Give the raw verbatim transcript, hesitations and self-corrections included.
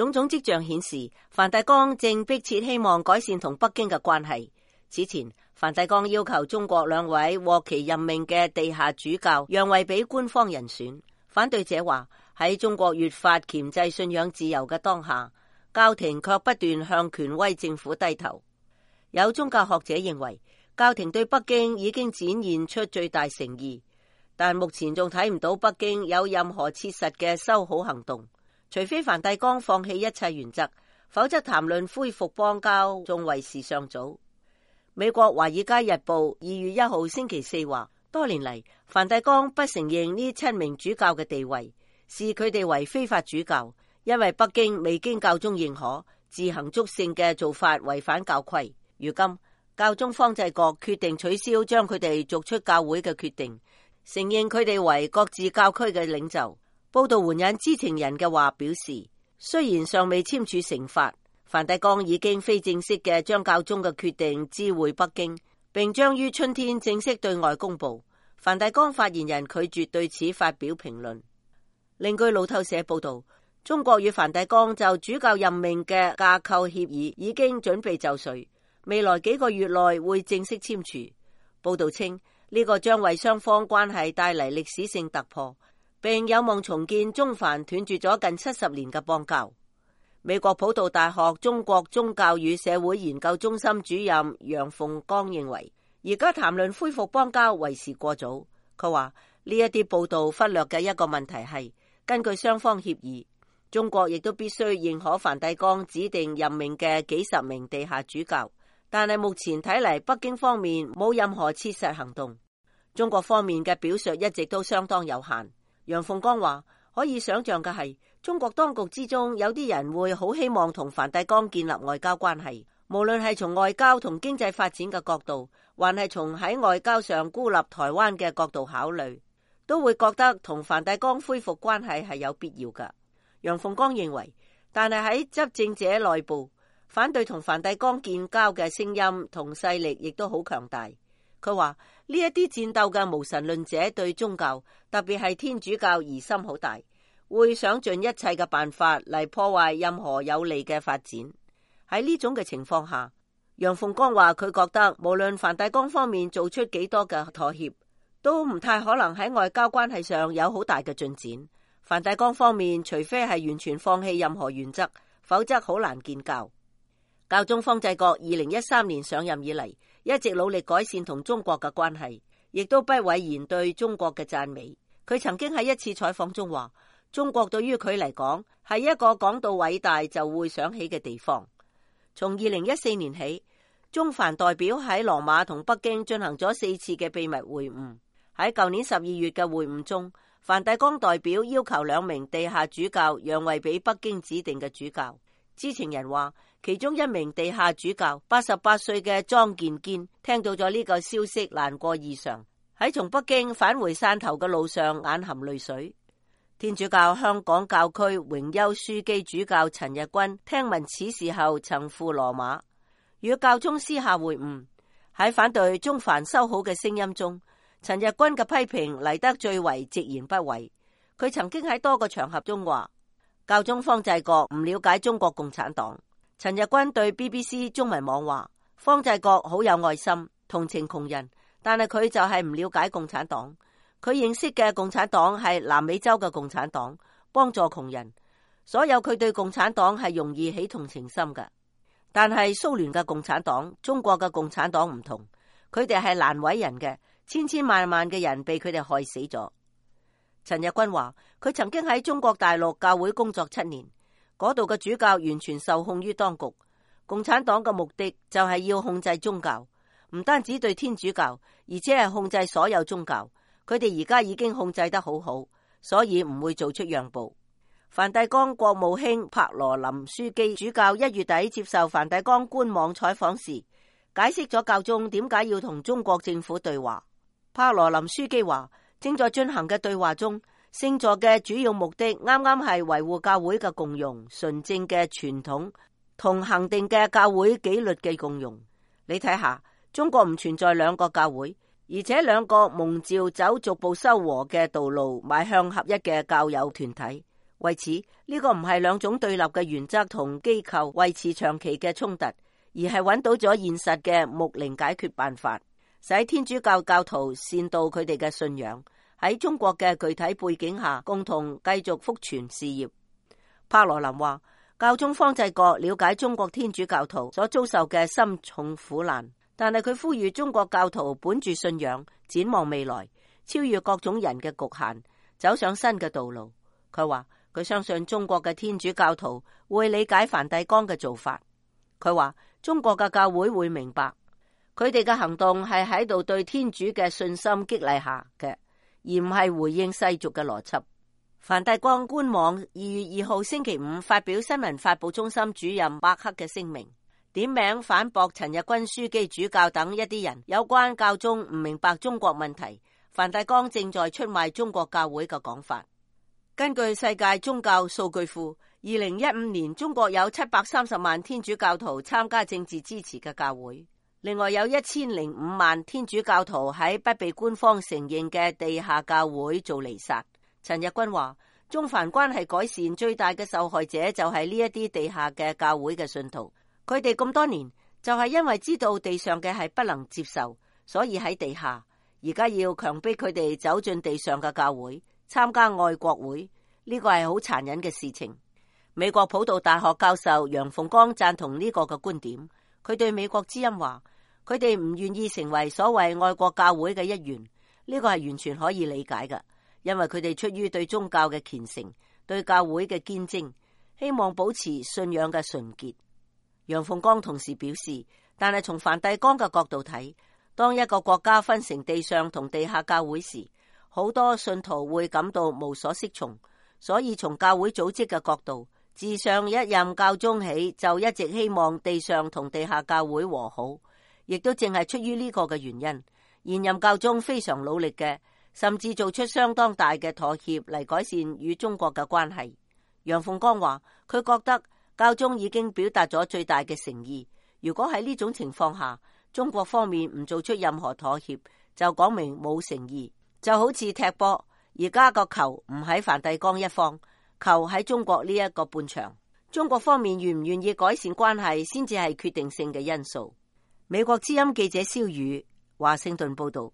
種種跡象顯示，梵蒂岡正迫切希望改善同北京嘅關係。此前，梵蒂岡要求中國兩位獲其任命嘅地下主教讓位俾官方人選。反對者話，喺中國越發鉗制信仰自由嘅當下，教廷卻不斷向權威政府低頭。有宗教學者認為，教廷對北京已經展現出最大誠意，但目前仲睇唔到北京有任何切實嘅修好行動。除非梵蒂岡放棄一切原則，否則談論恢復邦交仲為時尚早。美國華爾街日報二月一號星期四話，多年嚟梵蒂岡不承認呢七名主教嘅地位，視佢哋為非法主教，因為北京未經教宗認可，自行祝聖嘅做法違反教規。如今教宗方濟各決定取消將佢哋逐出教會嘅決定，承認佢哋為各自教區嘅領袖。報道援引知情人嘅話表示，雖然尚未簽署成法，梵蒂岡已經非正式嘅將教宗嘅決定知會北京，並將於春天正式對外公布。梵蒂岡發言人拒絕對此發表評論。另據路透社報道，中國與梵蒂岡就主教任命嘅架構協議已經準備就緒，未來幾個月內會正式簽署。報道稱，呢個將為雙方關係帶嚟歷史性突破，並有望重建中梵斷絕咗近七十年嘅邦交。美國普渡大學中國宗教與社會研究中心主任楊鳳剛認為，而家談論恢復邦交為時過早。佢話呢一啲報道忽略嘅一個問題係，根據雙方協議，中國亦都必須認可梵蒂岡指定任命嘅幾十名地下主教，但係目前睇嚟，北京方面冇任何切實行動。中國方面嘅表述一直都相當有限。楊鳳剛話，可以想象嘅係，中國當局之中有啲人會好希望同梵蒂岡建立外交關係，無論係從外交同經濟發展嘅角度，還係從喺外交上孤立台灣嘅角度考慮，都會覺得同梵蒂岡恢復關係係有必要㗎。楊鳳剛認為，但係喺執政者內部，反對同梵蒂岡建交嘅聲音同勢力亦都好強大。佢話呢一啲戰鬥嘅無神論者對宗教，特別係天主教疑心好大，會想盡一切嘅辦法嚟破壞任何有利嘅發展。喺呢種嘅情況下，楊鳳剛話佢覺得無論梵蒂岡方面做出幾多嘅妥協，都唔太可能喺外交關係上有好大嘅進展。梵蒂岡方面除非係完全放棄任何原則，否則好難建交。教宗方濟各二零一三年上任以嚟，一直努力改善同中國嘅關係，亦都不諱言對中國嘅讚美。佢曾經喺一次採訪中話，中國對於佢嚟講係一個講到偉大就會想起嘅地方。從二零一四年起，中梵代表喺羅馬同北京進行咗四次嘅秘密會晤。喺舊年十二月嘅會晤中，梵蒂岡代表要求兩名地下主教讓位俾北京指定嘅主教。知情人話，其中一名地下主教八十八歲嘅莊健堅聽到咗呢個消息，難過異常，喺從北京返回汕頭嘅路上眼含淚水。天主教香港教區榮休樞機主教陳日君聽聞此事後曾赴羅馬與教宗私下會晤。喺反對中梵修好嘅聲音中，陳日君嘅批評嚟得最為直言不諱。佢曾經喺多個場合中話，教宗方濟各唔了解中國共產黨。陳日君對 B B C 中文網話，方濟各好有愛心，同情窮人，但係佢就係唔了解共產黨。佢認識嘅共產黨係南美洲嘅共產黨，幫助窮人。所有佢對共產黨係容易起同情心嘅。但係蘇聯嘅共產黨、中國嘅共產黨唔同，佢哋係難為人嘅，千千萬萬嘅人被佢哋害死咗。陳日君話，佢曾經喺中國大陸教會工作七年，嗰度嘅主教完全受控於當局。共產黨嘅目的就係要控制宗教，唔單止對天主教，而且係控制所有宗教。佢哋而家已經控制得好好，所以唔會做出讓步。梵蒂岡國務卿帕羅林樞機主教一月底接受梵蒂岡官網採訪時，解釋咗教宗點解要同中國政府對話。帕羅林樞機話，正在進行嘅對話中，聖座嘅主要目的啱啱係維護教會嘅共融、純正嘅傳統同恆定嘅教會紀律嘅共融。你睇下，中國唔存在兩個教會，而且兩個蒙召走逐步修和嘅道路，邁向合一嘅教友團體。為此，呢個唔係兩種對立嘅原則同機構維持長期嘅衝突，而係揾到咗現實嘅牧靈解決辦法，使天主教教徒善道佢哋嘅信仰，喺中國嘅具體背景下共同繼續福傳事業。帕羅林話，教宗方濟各了解中國天主教徒所遭受嘅深重苦難，但係佢呼籲中國教徒本住信仰，展望未來，超越各種人嘅局限，走上新嘅道路。佢話佢相信中國嘅天主教徒會理解梵蒂岡嘅做法。佢話中國嘅教會會明白，佢哋嘅行動係喺度對天主嘅信心激勵下嘅，而唔係回應世俗嘅邏輯。梵蒂岡官網二月二號星期五發表新聞發佈中心主任伯克嘅聲明，點名反駁陳日君樞機主教等一啲人有關教宗唔明白中國問題，梵蒂岡正在出賣中國教會嘅講法。根據世界宗教數據庫，二零一五年中國有七百三十萬天主教徒參加政治支持嘅教會，另外有一千零五萬天主教徒喺不被官方承認嘅地下教會做彌撒。陳日君話，中梵關係改善最大嘅受害者就係呢一啲地下嘅教會嘅信徒，佢哋咁多年就係因為知道地上嘅係不能接受，所以喺地下，而家要強迫佢哋走進地上嘅教會，參加愛國會，呢個係好殘忍嘅事情。美國普渡大學教授楊鳳光贊同呢個嘅觀點，佢對美國之音話，佢哋唔願意成為所謂愛國教會嘅一員，呢個係完全可以理解嘅，因為佢哋出於對宗教嘅虔誠，對教會嘅堅貞，希望保持信仰嘅純潔。楊鳳光同時表示，但係從梵蒂岡嘅角度睇，當一個國家分成地上同地下教會時，好多信徒會感到無所適從，所以從教會組織嘅角度，自上一任教宗起就一直希望地上同地下教會和好，亦都正係出於呢個嘅原因，現任教宗非常努力嘅，甚至做出相當大嘅妥協嚟改善與中國嘅關係。楊鳳光話，佢覺得教宗已經表達咗最大嘅誠意，如果喺呢種情況下，中國方面唔做出任何妥協，就講明冇誠意，就好似踢波，而家個球唔喺梵蒂岡一方，球喺中國呢一個半場，中國方面願唔願意改善關係先至係決定性嘅因素。美國之音記者蕭宇華盛頓報道。